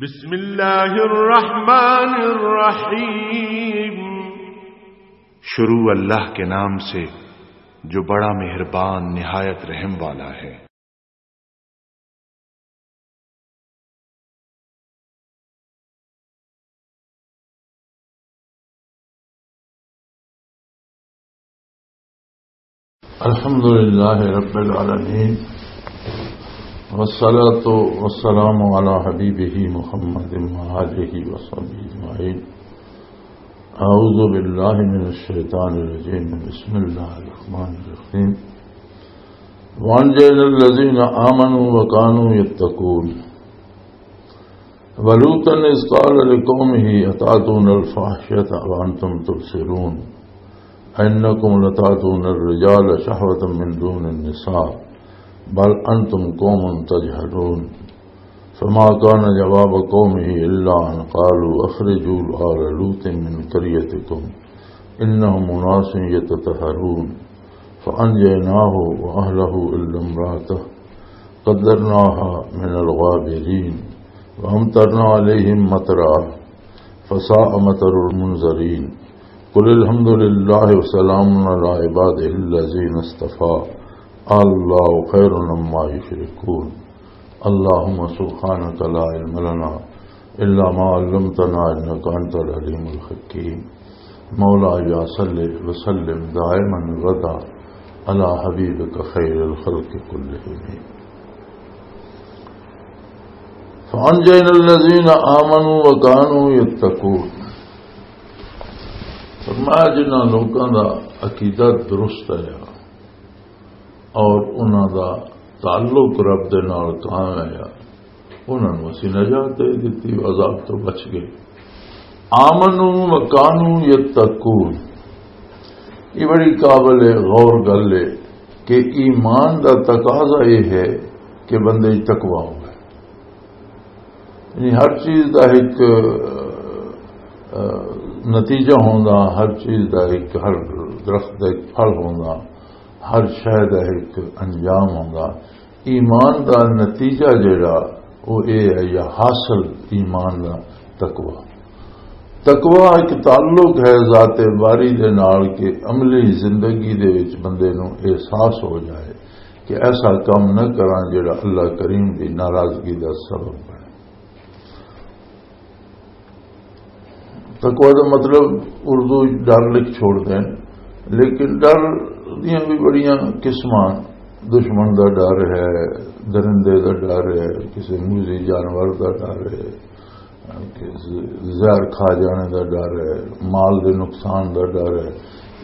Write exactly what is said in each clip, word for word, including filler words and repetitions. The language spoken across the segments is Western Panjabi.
بسم اللہ الرحمن الرحیم۔ شروع اللہ کے نام سے جو بڑا مہربان نہایت رحم والا ہے۔ الحمد لله رب العالمين، والصلاة والسلام على حبيبه محمد وآله وصحبه أجمعين. أعوذ بالله من الشيطان الرجيم. بسم الله الرحمن الرحيم. وأنجينا الذين آمنوا وكانوا يتقون. ولوطا إذ قال لقومه أتأتون الفاحشة وأنتم تبصرون أئنكم لتأتون الرجال شهوة من دون النساء بل أنتم قوم تجهلون. فما كان جواب قومه إلا أن قالوا أخرجوا آل لوط من قريتكم إنهم أناس يتطهرون. فأنجيناه وأهله إلا امرأته قدرناها من الغابرين وأمطرنا عليهم مطرا فساء مطر المنذرين. قل الحمد لله وسلام على عباده الذين اصطفى الله خير عما يشركون. اللهم سبحانك لا علم لنا إلا ما علمتنا إنك أنت العليم الحكيم. مولاي صل وسلم دائما أبدا على حبيبك خير الخلق كلهم. فأنجينا الذين آمنوا وكانوا يتقون. فرمایا، جنہاں لوکاں دا عقیدہ درست ہے اور انہاں دا تعلق رب دے نال قائم ہے، انہاں نوں اسی نجات دے دتی، عذاب تو بچ گئے۔ آمنوا وکانوا یتقون۔ یہ بڑی قابل غور گل ہے کہ ایمان دا تقاضا یہ ہے کہ بندے وچ تقوی ہوئے۔ یعنی ہر چیز دا ایک، آ، نتیجہ ہوندا، ہر چیز دا ایک، ہر درخت دا ایک پھل ہوندا، ہر شے دا ایک انجام ہوندا۔ ایمان دا نتیجہ جڑا، وہ اے ہے، یا حاصل ایمان دا تقوی۔ تقوی ایک تعلق ہے ذات باری دے نال کہ عملی زندگی دے وچ بندے نوں احساس ہو جائے کہ ایسا کام نہ کراں جڑا اللہ کریم دی ناراضگی دا سبب بنے۔ تقوی دا مطلب اردو وچ ڈر لکھ چھوڑ دین، لیکن ڈر دیاں بھی بڑیاں قسماں، دشمن دا ڈر ہے، درندے دا ڈر ہے، کسی موذی جانور دا ڈر ہے، کہ ز-، زہر کھا جانے دا ڈر ہے، مال دے نقصان دا ڈر ہے۔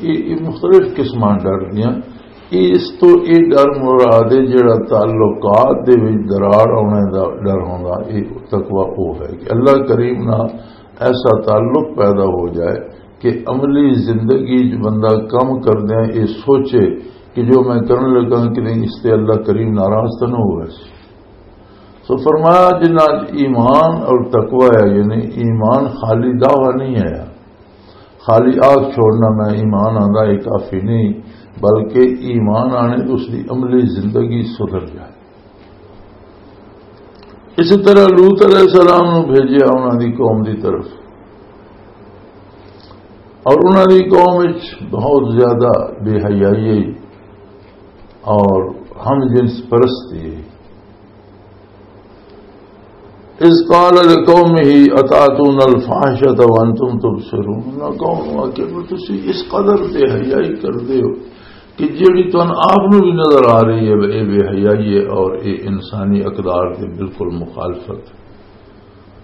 یہ، یہ مختلف قسماں ڈر دیاں۔ یہ اس تو یہ ڈر مراد ہے جڑا تعلقات دے وچ دراڑ آنے دا ڈر ہوندا، یہ تقوی وہ ہے کہ اللہ کریم نال ایسا تعلق پیدا ہو جائے کہ عملی زندگی چ بندہ کم کردیاں یہ سوچے کہ جو میں کرن لگا کہ نہیں، اس تے اللہ کریم ناراض تو نہ ہوئے۔ سو فرمایا، جنہاں چ ایمان اور تقوی ہے، یعنی ایمان خالی دعویٰ نہیں ہے، خالی آگ چھوڑنا میں ایمان آندا، یہ کافی نہیں، بلکہ ایمان آنے تو اس کی عملی زندگی سدھر جائے۔ اسی طرح لوط علیہ السلام نو بھیجیا انہاں دی قوم دی طرف، اور انہاں دی قوم وچ بہت زیادہ بے حیائی اور ہم جنس پرستی۔ اذ قال لقومه اتاتون الفاحشة وانتم تبصرون۔ انہاں قوم نو آکھیا کہ تسی اس قدر بے حیائی کردے ہو کہ جیڑی تانوں آپ نوں بھی نظر آ رہی ہے، اے بے حیائی ہے اور اے انسانی اقدار دے بالکل مخالفت۔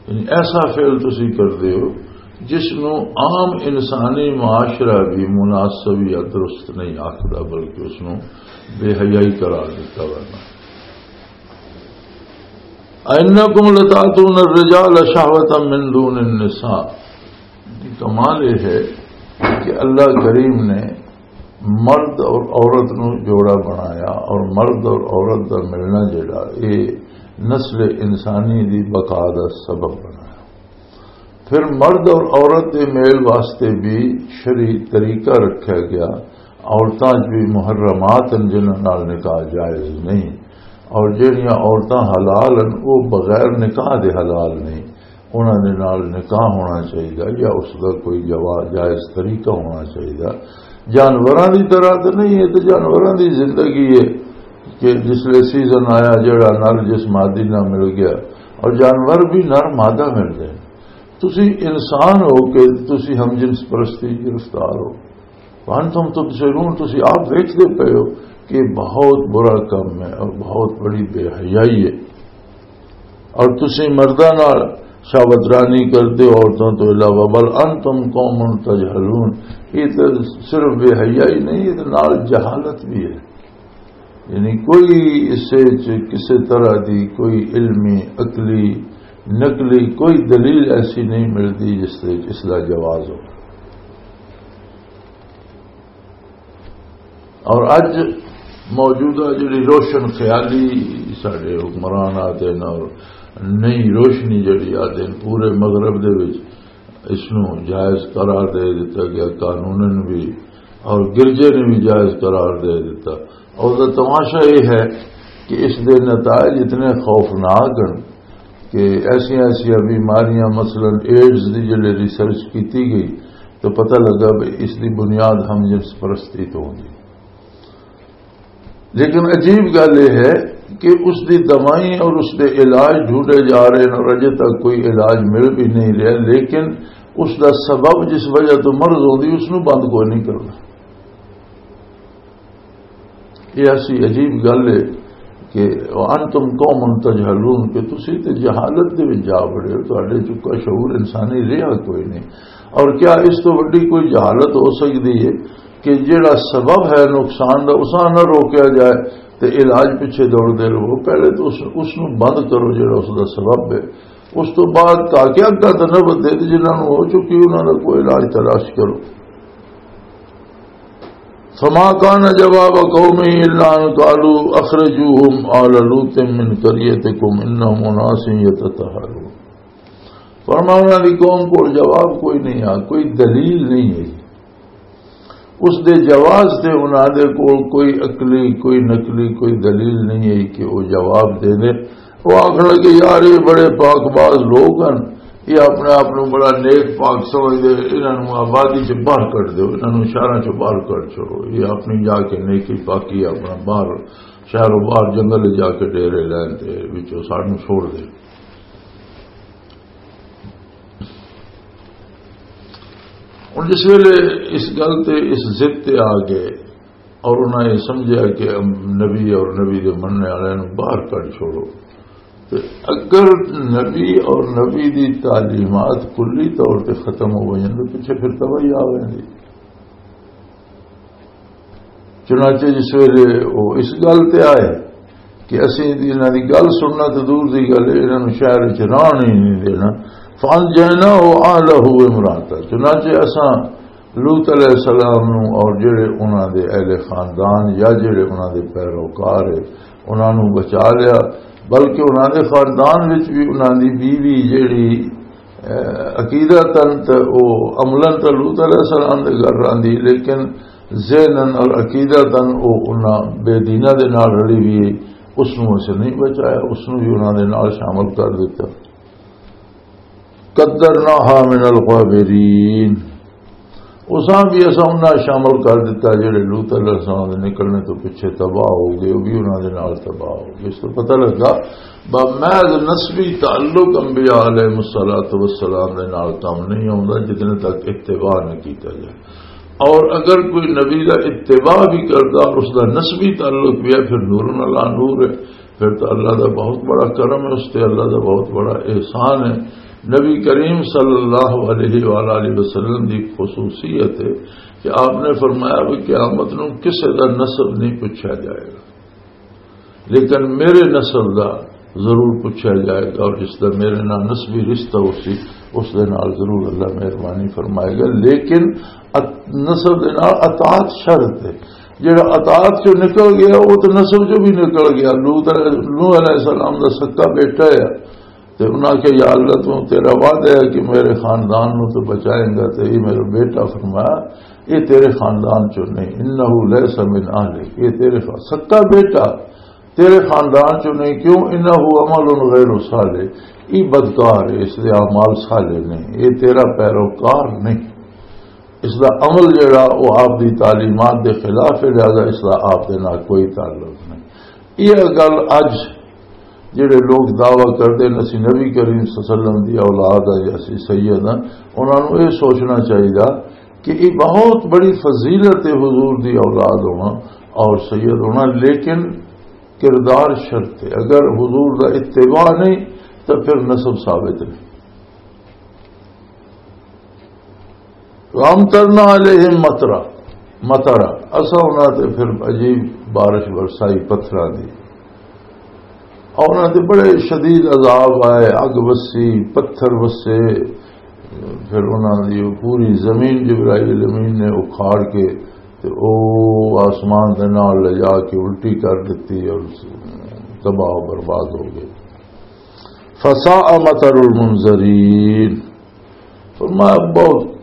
یعنی ایسا فعل تسی کردے ہو جس نوں عام انسانی معاشرہ بھی مناسب یا درست نہیں آکھدا، بلکہ اس نوں بے حیائی قرار دیتا ورنہ۔ "اینکم لتاتون الرجال شہوة من دون النساء۔" کمال یہ ہے کہ اللہ کریم نے مرد اور عورت نو جوڑا بنایا اور مرد اور عورت دا ملنا جڑا، یہ نسل انسانی دی بقا دا سبب بنایا۔ پھر مرد اور عورت دے میل واسطے بھی شرعی طریقہ رکھا گیا۔ عورتاں چ بھی محرمات ہیں جنہاں نال نکاح جائز نہیں، اور جہڑیاں عورتاں حلال ہیں وہ بغیر نکاح دے حلال نہیں۔ انہاں دے نال نکاح ہونا چاہیدا یا اس دا کوئی جوا-، جائز طریقہ ہونا چاہیدا۔ جانوراں دی طرح تے نہیں، یہ تے جانوراں دی زندگی ہے کہ جس لے سیزن آیا، جڑا نر جس مادی نہ مل گیا، اور جانور بھی نر مادہ مل گئے۔ تسی انسان ہو کہ تسی ہم جنس پرستی گرفتار ہو۔ وانتم تبصرون، تسی آپ دیکھتے پے ہو کہ یہ بہت برا کم ہے اور بہت بڑی بے حیائی ہے۔ اور تسی مرداں نال شاوترانی کردے ہو عورتوں تو علاوہ، بل انتم قوم تجہلون، یہ تو صرف بے حیائی نہیں، یہ تو نال جہالت بھی ہے۔ یعنی کوئی اس سے چ-، کسی طرح دی کوئی علمی، عقلی، نقلی کوئی دلیل ایسی نہیں ملتی جس سے اس کا جواز ہو۔ اور اج موجودہ جڑی روشن خیالی ساڈے حکمران آتے ہیں اور نئی روشنی جڑی آتے ہیں پورے مغرب دے وچ اس نو جائز قرار دے دیتا گیا، قانوناً بھی اور گرجے نے بھی جائز قرار دے دیتا۔ اور دا تماشا یہ ہے کہ اس دے نتائج اتنے خوفناک ہیں کہ ایسیاں ایسیاں بیماریاں، مثلاً ایڈز دی جلے ریسرچ کیتی گئی تو پتہ لگا بھی اس دی بنیاد ہم جنس پرستی تو ہوندی۔ لیکن عجیب گل یہ ہے کہ اس دی دوائی اور اس دے علاج ڈھونڈے جا رہے ہیں اور اجے تک کوئی علاج مل بھی نہیں رہا، لیکن اس دا سبب جس وجہ تو مرض ہوندی اس نو بند کوئی نہیں کرنا۔ یہ ایسی عجیب گل ہے کہ وانتم قوم تجہلون، کہ تسی تے جہالت دے وچ جا بڑے ہو، تہاڈے چکا شعور انسانی رہا کوئی نہیں۔ اور کیا اس تو وڈی کوئی جہالت ہو سکدی ہے کہ جڑا سبب ہے نقصان دا، اساں نہ روکیا جائے تے علاج پیچھے دوڑ دے رہو؟ پہلے تو اس، اس نو بند کرو جڑا اس دا سبب ہے، اس تو بعد تاکہ اگاں تے نوبت دے تے جنہاں نوں ہو چکی انہاں دا کوئی علاج تلاش کرو۔ فما كان جواب قومه إلا أن قالوا أخرجوهم آل لوط من قريتكم إنهم أناس يتطهرون۔ فرمایا انہاں دی قوم کول جواب کوئی نہیں آ، کوئی دلیل نہیں ہے۔ اس دے جواز تے انہاں دے کول کوئی عقلی، کوئی نقلی، کوئی دلیل نہیں ہے کہ وہ جواب دے دے۔ وہ آخر لگے، "یار، یہ بڑے پاک باز لوگ ہیں، یہ اپنے آپ نو بڑا نیک پاک سمجھدے، انہاں نو آبادی چ باہر کڈ دیو، انہاں نو شہراں چ باہر کڈ چھوڑو، یہ اپنی جا کے نیکی پاکی اپنا باہر، شہر و باہر جنگل جا کے ڈیرے لین تے وچوں سانو چھوڑ دے۔" ہن جس ویلے اس گل تے، اس ضد تے آ گئے اور انہاں یہ سمجھیا کہ نبی اور نبی دے مننے والے نوں باہر کڈ چھوڑو، تے اگر نبی اور نبی دی تعلیمات کلی طور تے ختم ہو وجن تے پچھے پھر تباہی آ ویندی۔ چنانچہ جس ویلے وہ اس گل تے آئے کہ اسی انہاں دی گل سننا تو دور دی گل ہے، انہاں نوں شہر وچ رہن ہی نہیں دینا، فانجیناہ و اہلہ امراۃ، چنانچہ اساں لوط علیہ السلام نوں اور جڑے انہاں دے اہل خاندان یا جڑے انہاں دے پیروکار ہے، انہاں نوں بچا لیا، بلکہ انہاں دے خاندان وچ بھی انہاں دی بیوی جڑی، اے، عقیدتاً تے او عملاً تے لوط علیہ السلام دے گھر رہندی، لیکن ذہناً اور عقیدتاً او انہاں بے دیناں دے نال رلی ہوئی ہے، اس نوں اسے نہیں بچایا، اس نوں بھی انہاں دے نال شامل کر دیتا۔ قدرناها من الغابرین، اساں بھی اساں انہاں شامل کر دیتا جڑے لوط علیہ السلام دے نکلنے تو پیچھے تباہ ہو گئے، وہ بھی انہاں دے نال تباہ ہو گئے۔ اس تو پتہ لگا با محض نسبی تعلق انبیاء علیہ الصلوۃ والسلام دے نال کم نہیں ہوندا جتنے تک اتباع نہ کیتا جائے۔ اور اگر کوئی نبی دا اتباع بھی کردا اور اس دا نسبی تعلق بھی ہے، پھر نور اللہ نور ہے، پھر تو اللہ دا بہت بڑا کرم ہے، اس تے اللہ دا بہت بڑا احسان ہے۔ نبی کریم صلی اللہ علیہ وآلہ وسلم دی خصوصیت ہے کہ آپ نے فرمایا بھی قیامت نوں کسے دا نسب نہیں پوچھا جائے گا، لیکن میرے نسب دا ضرور پوچھا جائے گا، اور جس دا میرے نال نسبی رشتہ ہو سی، اس دے نال ضرور اللہ مہربانی فرمائے گا۔ لیکن ات-، نسب دے نال اطاعت شرط ہے۔ جڑا اطاعت چوں نکل گیا، وہ تو نسب چوں بھی نکل گیا۔ لوط علیہ، نوح علیہ السلام دا سکا بیٹا ہے، تے انہاں کہ، "یا اللہ، تو تیرا وعدہ ہے کہ میرے خاندان نو تو بچائیں گا، تے یہ میرا بیٹا فرمایا، یہ تیرے خاندان چوں نہیں، انہ لیس من اہلک، یہ تیرے خا-، سکا بیٹا۔" تیرے خاندان چوں نہیں، کیوں؟ انہ عمل غیر صالح، یہ بدکار ہے، اس دے اعمال صالح نہیں، یہ تیرا پیروکار نہیں۔ اس دا عمل جڑا، وہ آپ دی تعلیمات دے خلاف ہے، لہذا اس دا آپ دے نال کوئی تعلق نہیں۔ یہ گل اج جڑے لوگ دعویٰ کردے نے، "اسی نبی کریم صلی اللہ علیہ وسلم دی اولاد ہے یا اسی سید ہیں"، انہاں نوں یہ سوچنا چاہیے کہ یہ بہت بڑی فضیلت ہے حضور دی اولاد ہونا اور سید ہونا، لیکن کردار شرط ہے۔ اگر حضور دا اتباع نہیں تو پھر نسب ثابت نہیں۔ وَأَمْطَرْنَا عَلَيْهِمْ مَطَرًا، مطرا، اساں انہاں تے پھر عجیب بارش برسائی پتھراں دی، اور انہاں تے بڑے شدید عذاب آئے، اگ وسی، پتھر وسے، پھر انہاں دی وہ پوری زمین جبرائیل امین نے اکھاڑ کے تے او آسمان دے نال لے جا کے الٹی کر دتی اور تباہ و برباد ہو گئے۔ فساء مطر المنذرین۔ فرمایا، بہت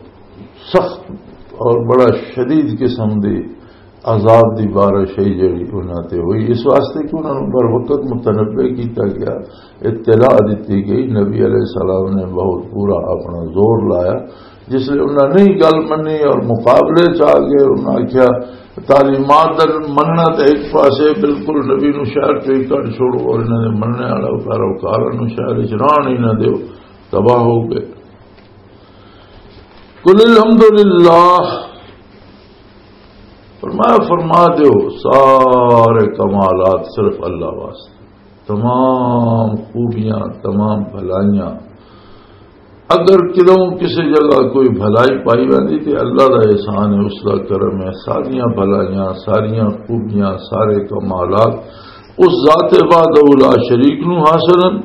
سخت اور بڑا شدید قسم دی عذاب دی بارش ہے جڑی انہاں تے ہوئی، اس واسطے کہ انہاں نوں بر وقت متنبع کیتا گیا، اطلاع دتی گئی۔ نبی علیہ السلام نے بہت پورا اپنا زور لایا، جس لئے انہاں نہیں گل منی اور مقابلے چ آ گئے۔ انہاں آکھیا، تعلیمات دا مننا تے ایک پاسے، بالکل نبی نو شہر چوں ہی کڈ چھوڑو، اور انہاں دے مننے والا پیروکاراں نو شہر وچ رہن ہی نہ دیو، تباہ ہو گئے۔ قل الحمدللہ، فرمایا، فرما دیو، سارے کمالات صرف اللہ واسطے، تمام خوبیاں، تمام بھلائیاں۔ اگر کدوں کسی جگہ کوئی بھلائی پائی ویندی تے اللہ دا احسان ہے، اس دا کرم ہے، ساریاں بھلائیاں، ساریاں خوبیاں، سارے کمالات اس ذات وحدہ لا شریک نو حاصل ہیں۔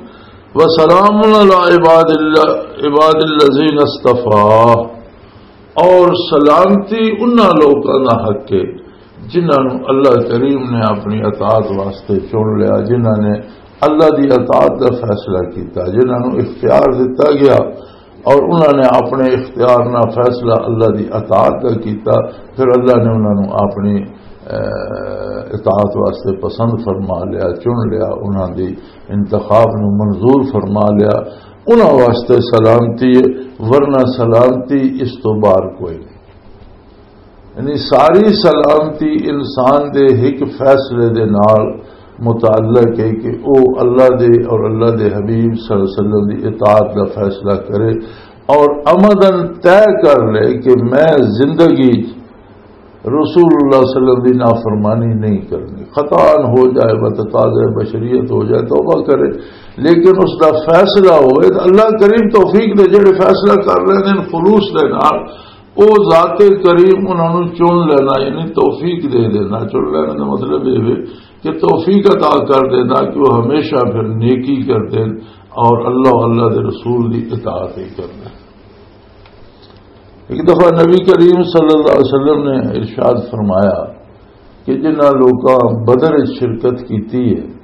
وسلام علی عباد اللہ، عباد الذین اصطفیٰ، اور سلامتی انہاں لوکاں دا حق ہے جنہاں نوں اللہ کریم نے اپنی اطاعت واسطے چن لیا، جنہاں نے اللہ دی اطاعت دا فیصلہ کیتا، جنہاں نوں اختیار دتا گیا اور انہاں نے اپنے اختیار نال فیصلہ اللہ دی اطاعت دا کیتا، پھر اللہ نے انہاں نوں اپنی، اے، اطاعت واسطے پسند فرما لیا، چن لیا، انہاں دی انتخاب نوں منظور فرما لیا، انہاں واسطے سلامتی ہے، ورنہ سلامتی اس تو باہر کوئی نہیں۔ یعنی ساری سلامتی انسان دے ایک فیصلے دے نال متعلق ہے کہ او اللہ دے اور اللہ دے حبیب صلی اللہ علیہ وسلم دی اطاعت دا فیصلہ کرے اور عمداً طے کر لے کہ میں زندگی رسول اللہ صلی اللہ علیہ وسلم دی نافرمانی نہیں کرنی۔ خطا ہو جائے، بتقاضۂ بشریت ہو جائے، توبہ کرے، لیکن اس دا فیصلہ ہوئے تو اللہ کریم توفیق دے، جڑے فیصلہ کر لیندے نے خلوص دے نال، او ذات کریم انہاں نوں چن لینا، یعنی توفیق دے دینا۔ چن لینا دا مطلب یہ ہے کہ توفیق عطا کر دینا کہ وہ ہمیشہ پھر نیکی کر دین اور اللہ، اللہ دے رسول دی اطاعت ہی کر دین۔ ایک دفعہ نبی کریم صلی اللہ علیہ وسلم نے ارشاد فرمایا کہ جنہاں لوکاں بدر وچ شرکت کیتی ہے،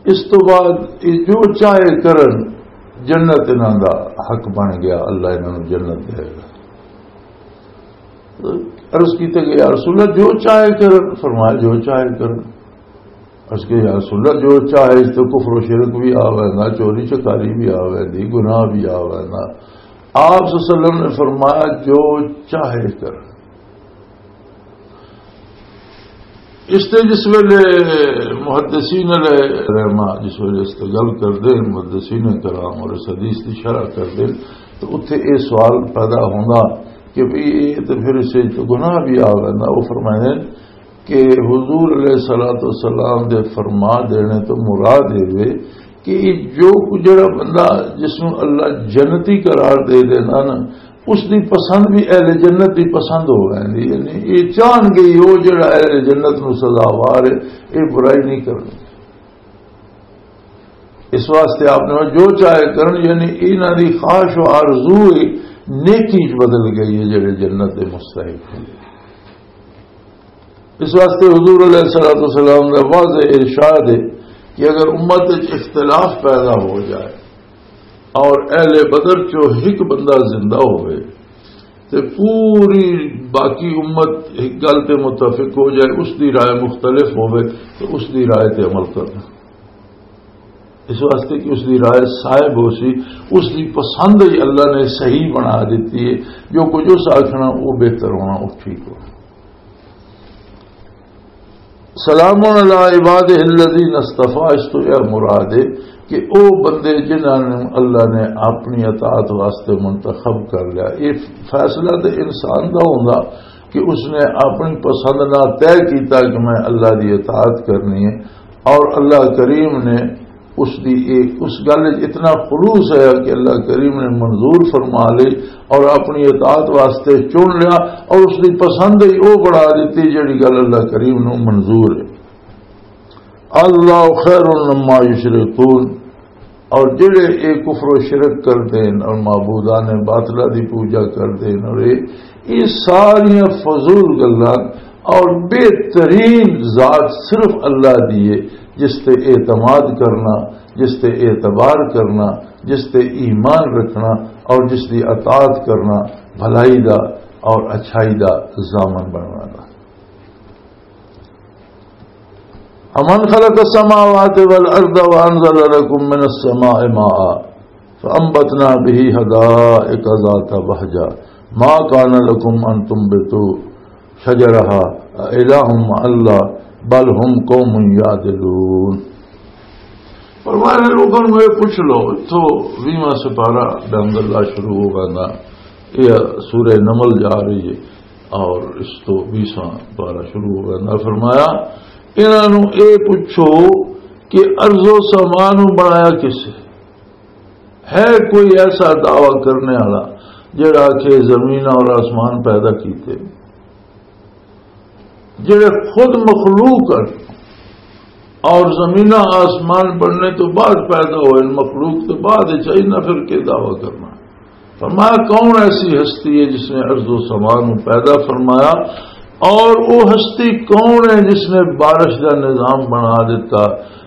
اس تو بعد یہ جو چاہے کرن، جنت انہاں دا حق بن گیا، اللہ انہاں نوں جنت دے گا۔ عرض کیتے گئے، "یا رسول اللہ، جو چاہے کرن؟" فرمایا، "جو چاہے کرن۔" عرض کہ، "یا رسول اللہ، جو چاہے اس تو کفر و شرک بھی آ ویندا، چوری چکاری بھی آ ویندی، گناہ بھی آ ویندا۔" آپ صلی اللہ علیہ وسلم نے فرمایا، "جو چاہے کرن۔" اس تے جس ویلے محدثین علیہ رحمہ جس ویلے اس تے گل کردے، محدثین کرام اور اس حدیث دی شرح کردے، تو اتھے اے سوال پیدا ہوندا کہ بھئی اے تے پھر اس وچ گناہ بھی آ ویندا۔ وہ فرمائے کہ حضور علیہ الصلوۃ والسلام دے فرما دینے تو مراد اے وے کہ جو جڑا بندہ جس نوں اللہ جنتی قرار دے دینا نا، اس دی پسند بھی اہل جنت دی پسند ہو ویندی ہے۔ یعنی یہ چاہن گے ہی وہ جڑا اہل جنت نو سزاوار ہے، یہ برائی نہیں کرنی۔ اس واسطے آپ نے جو چاہے کرن، یعنی انہاں دی خواہش و آرزو ہی نیکی وچ بدل گئی ہے، جڑے جنت دے مستحق ہیں۔ اس واسطے حضور علیہ الصلوۃ والسلام کا واضح ارشاد ہے کہ اگر امت وچ اختلاف پیدا ہو جائے اور اہل بدر چو ایک بندہ زندہ ہوئے تے پوری باقی امت ایک گل تے متفق ہو جائے، اس دی رائے مختلف ہوئے، تو اس دی رائے تے عمل کرنا، اس واسطے کہ اس دی رائے صاحب ہو سی، اس دی پسند ہی اللہ نے صحیح بنا دیتی ہے۔ جو کچھ اس آکھنا، وہ بہتر ہونا، وہ ٹھیک ہونا۔ سلام علی عبادہ الذین اصطفیٰ، اس تو یہ مراد ہے کہ او بندے جنہاں نے اللہ نے اپنی اطاعت واسطے منتخب کر لیا۔ یہ فیصلہ تو انسان دا ہوندا کہ اس نے اپنی پسند نہ طے کیتا کہ میں اللہ دی اطاعت کرنی ہے، اور اللہ کریم نے اس دی ایک، اس گل وچ اتنا خلوص ہے کہ اللہ کریم نے منظور فرما لئی اور اپنی اطاعت واسطے چن لیا، اور اس دی پسند ہی وہ بنا دیتی جڑی گل اللہ کریم نو منظور ہے۔ اللہ خیر مما یشرکون، اور جڑے اے کفر و شرک کردے ہیں اور معبودان باطلہ دی پوجا کردے ہیں، اور اے، اے ساریاں فضول گلاں، اور بہترین ذات صرف اللہ دی ہے، جس تے اعتماد کرنا، جس تے اعتبار کرنا، جس تے ایمان رکھنا، اور جس دی اطاعت کرنا، بھلائی دا اور اچھائی دا ضامن بننا دا۔ امن خلق السماوات والارض وانزل لكم من السماء ماء فانبتنا به حدائق ذات بهجة ما كان لكم ان تنبتوا شجرها أإله مع الله بل هم قوم يعدلون۔ فرمایا، لوگوں نوں یہ پوچھ لو، اتھوں ویہواں سپارہ بحمد اللہ شروع ہو گیا، یہ سورہ نمل جا رہی ہے، اور اس تو بیسواں پارہ شروع ہو گیا۔ فرمایا، انہاں نوں یہ پوچھو کہ ارض و سما نوں بنایا کس ہے؟ ہے کوئی ایسا دعویٰ کرنے والا جڑا کہ زمین اور آسمان پیدا کیتے، جڑے خود مخلوق ہیں اور زمینہ آسمان بننے تو بعد پیدا ہوئے، مخلوق تو بعد چاہیے نہ، پھر کے دعویٰ کرنا؟ فرمایا، کون ایسی ہستی ہے جس نے ارض و سما نو پیدا فرمایا؟ اور وہ ہستی کون ہے جس نے بارش کا نظام بنا دیتا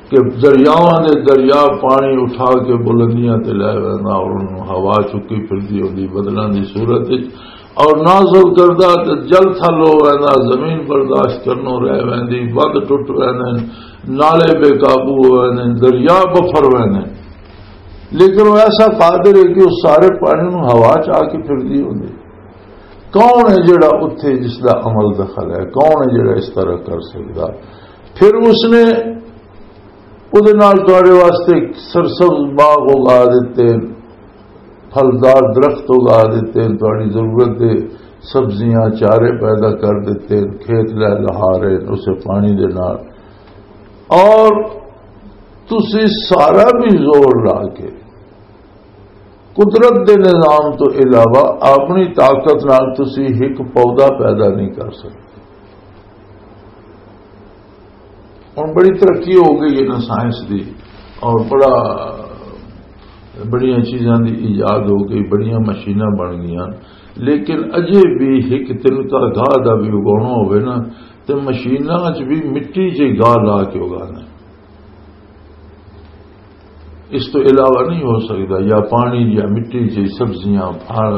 کہ دریاواں دے دریا پانی اٹھا کے بلندیاں تے لے ویندا اور انہوں ہوا چکی پھردی ہوندی بدلاں دی صورت وچ، اور نازل کردا تے جل تھل ہو ویندا، زمین برداشت کرنوں رہ ویندی، بند ٹوٹ ویندے، نالے بے قابو ہو ویندے، دریا بفر ویندے۔ لیکن وہ ایسا قادر ہے کہ وہ سارے پانی نوں ہوا چ آ کے پھردی ہوندی۔ کون ہے جڑا اتھے جس دا عمل دخل ہے؟ کون ہے جڑا اس طرح کر سکدا؟ پھر اس نے او دے نال تہاڈے واسطے سرسبز باغ اگا دتے، پھلدار درخت اگا دتے، تہاڈی ضرورت دے سبزیاں، چارے پیدا کر دتے، کھیت لہلہا رہے اسے پانی دے نال۔ اور تسی سارا بھی زور لا کے قدرت دے نظام تو علاوہ اپنی طاقت نال تسی ہک پودا پیدا نہیں کر سکتے۔ ہن بڑی ترقی ہو گئی ہے نا سائنس دی، اور بڑا، بڑیاں چیزاں دی ایجاد ہو گئی، بڑیاں مشیناں بن گئیاں، لیکن اجے بھی ہک تنکا گاہ دا بھی اگانا ہوئے نا، تے مشیناں وچ بھی مٹی چ گاہ لا کے اگانا ہے۔ اس تو علاوہ نہیں ہو سکتا۔ یا پانی یا مٹی چ سبزیاں، پھل،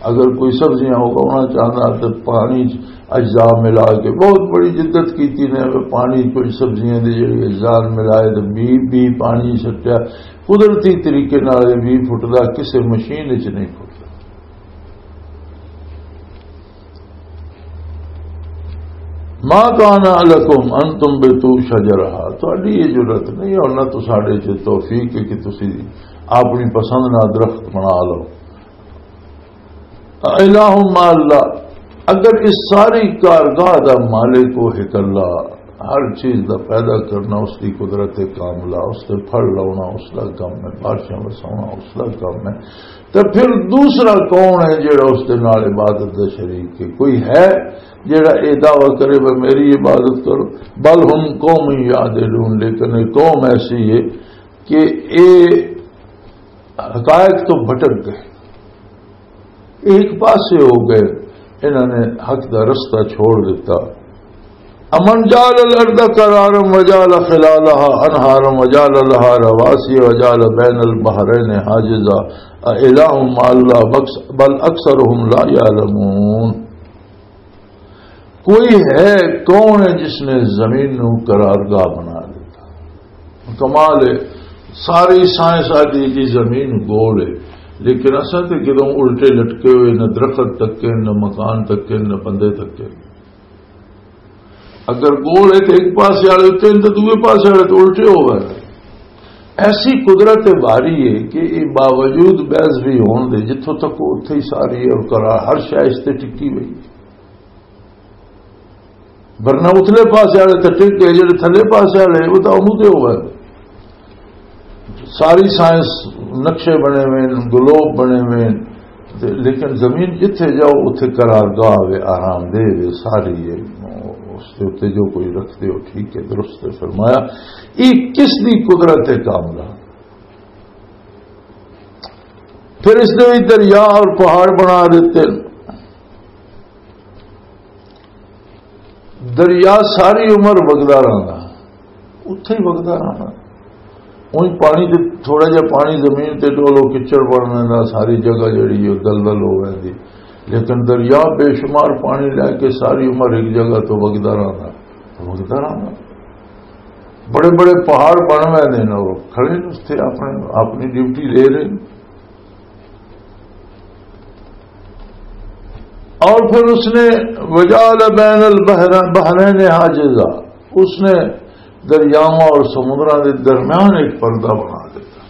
اگر کوئی سبزیاں اگانا چاہتا تو پانی چ اجزاء ملا کے، بہت بڑی جدت کیتی نے، پانی کچھ سبزیاں دے جڑے اجزاء ملائے تے بی، بی پانی سٹیا، قدرتی طریقے نال یہ بی پھٹدا، کسے مشین وچ نہیں پھٹدا۔ ما کان لکم ان تنبتوا شجرہا، تہاڈی یہ جرات نہیں، اور نہ تو ساڈے چ توفیق ہے کہ تسی اپنی پسند نہ درخت بنا لو۔ الہ مع اللہ، اگر اس ساری کارگاہ دا مالک وہ ایک اللہ، ہر چیز دا پیدا کرنا اس دی قدرت کاملہ، اس تے پھل لاؤنا اس دا کم ہے، بارشاں وساؤنا اس دا کم ہے، تے پھر دوسرا کون ہے جڑا اس دے نال عبادت دا شریک ہے؟ کوئی ہے جڑا اے دعویٰ کرے، "میں میری عبادت کرو"؟ بل ہم قوم یعدلون، لیکن یہ قوم ایسی ہے کہ اے حقائق تو بھٹک گئے، ایک پاسے ہو گئے، انہوں نے حق دا رستہ چھوڑ دیتا۔ امن جعل الارض قرارا وجعل خلالها انہارا وجعل لها رواسي وجعل بين البحرين حاجزا اَإِلَٰهٌ مَّعَ اللَّهِ، بَلْ أَكْثَرُهُمْ لَا يَعْلَمُونَ۔ کوئی ہے، کون ہے جس نے زمین نو قرارگاہ بنا دیتا؟ کمال ہے، ساری سائنس آدھی جی زمین گول ہے، لیکن اساں تے کدوں الٹے لٹکے ہوئے، نہ درخت تکے، نہ مکان تکے، نہ بندے تکے۔ اگر گول ہے تو ایک پاسے والے اتنے، تو دوسرے پاسے والے تو الٹے ہو گئے۔ ایسی قدرت باری ہے کہ یہ باوجود بحث بھی ہون دے، جتھوں تک وہ اتھے ہی ساری ہے اور قرار ہر شے اس تے ٹکی ہوئی ہے۔ ورنہ اتلے پاسے والے تے ٹک گئے، جڑے تھلے پاسے والے وہ تو امو تے ہو گئے۔ ساری سائنس، نقشے بنے ہوئے ہیں، گلوب بنے ہوئے ہیں، تے لیکن زمین جتھے جاؤ اتھے قرارگاہ ہوئے، آرام دہ ہوئے، ساری ہے۔ اس کے اتنے جو کوئی رکھتے ہو، ٹھیک ہے، درست ہے۔ فرمایا، یہ کس دی قدرت ہے کاملہ؟ پھر اس نے بھی دریا اور پہاڑ بنا دیتے۔ دریا ساری عمر وگدا رہندا، اتھے ہی وگدا رہنا۔ اونج پانی تے، تھوڑا جہا پانی زمین تے ڈولو، کچڑ بن ویندا، ساری جگہ جڑی او دلدل ہو ویندی۔ لیکن دریا بے شمار پانی لے کے ساری عمر ایک جگہ تو وگدا رہندا، وگدا رہندا۔ بڑے بڑے پہاڑ بن ویندے نے، او کھڑے نے اتھے اپنے، اپنی ڈیوٹی لے رہے نے۔ اور پھر اس نے وجعل بین البحر، بحرین حاجزہ، اس نے دریاواں اور سمندراں دے درمیان ایک پردہ بنا دیتا۔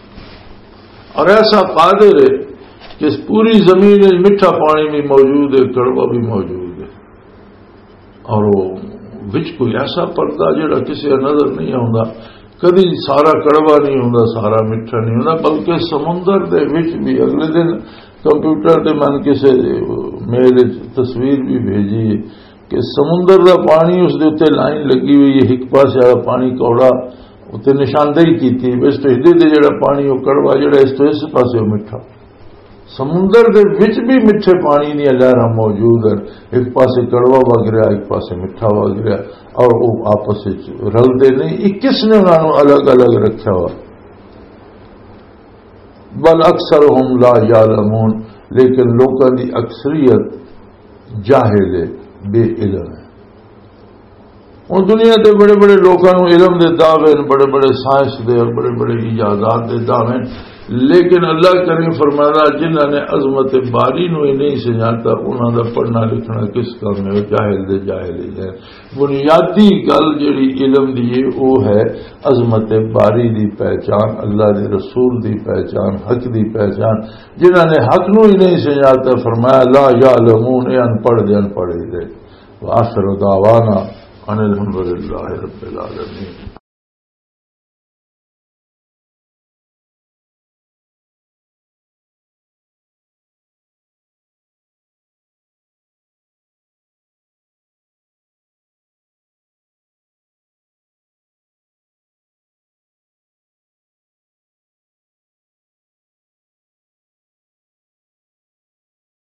اور ایسا قادر ہے کہ اس پوری زمین میں میٹھا پانی بھی موجود ہے، کڑوا بھی موجود ہے۔ اور وہ وچ کوئی ایسا پردہ جڑا کسی نظر نہیں آتا، کدی سارا کڑوا نہیں ہوتا، سارا میٹھا نہیں ہوتا، بلکہ سمندر دے وچ بھی۔ اگلے دن کمپیوٹر تے من کسی میل وچ تصویر بھی بھیجی کہ سمندر دا پانی، اس دے اتنے لائن لگی ہوئی ہے، ایک پاسے والا پانی کوڑا، اتنے نشاندہی کیتی، اس تو ادھر دے جڑا پانی وہ کڑوا، جڑا اس تو اس پاسے وہ میٹھا۔ سمندر دے وچ بھی میٹھے پانی دیاں لہراں موجود ہیں، ایک پاسے کڑوا وگ رہا، ایک پاسے میٹھا وگ رہا، اور وہ آپس وچ رلدے نہیں۔ یہ کس نے انہاں نوں الگ الگ رکھیا ہوا؟ بل اکثرهم لا یعلمون، لیکن لوکاں دی اکثریت جاہل ہے، بے علم ہے۔ ہن دنیا دے بڑے بڑے لوکاں نوں علم دے دعوے نے، بڑے بڑے سائنس دے اور بڑے بڑے ایجادات دے دعوے نے، لیکن اللہ کریم فرمایا، جنہاں نے عظمت باری نوں ہی نہیں سنجھاتا، انہاں دا پڑھنا لکھنا کس کام ہے؟ جاہل دے جاہل ہی ہے۔ بنیادی گل جڑی علم دی ہے، وہ ہے عظمت باری دی پہچان، اللہ دے رسول دی پہچان، حق دی پہچان۔ جنہاں نے حق نوں ہی نہیں سنجھاتا، فرمایا، لا یعلمون، یہ ان پڑھ دے، ان پڑھ ہی دے۔ وآخر دعوانا ان الحمدللہ رب العالمین۔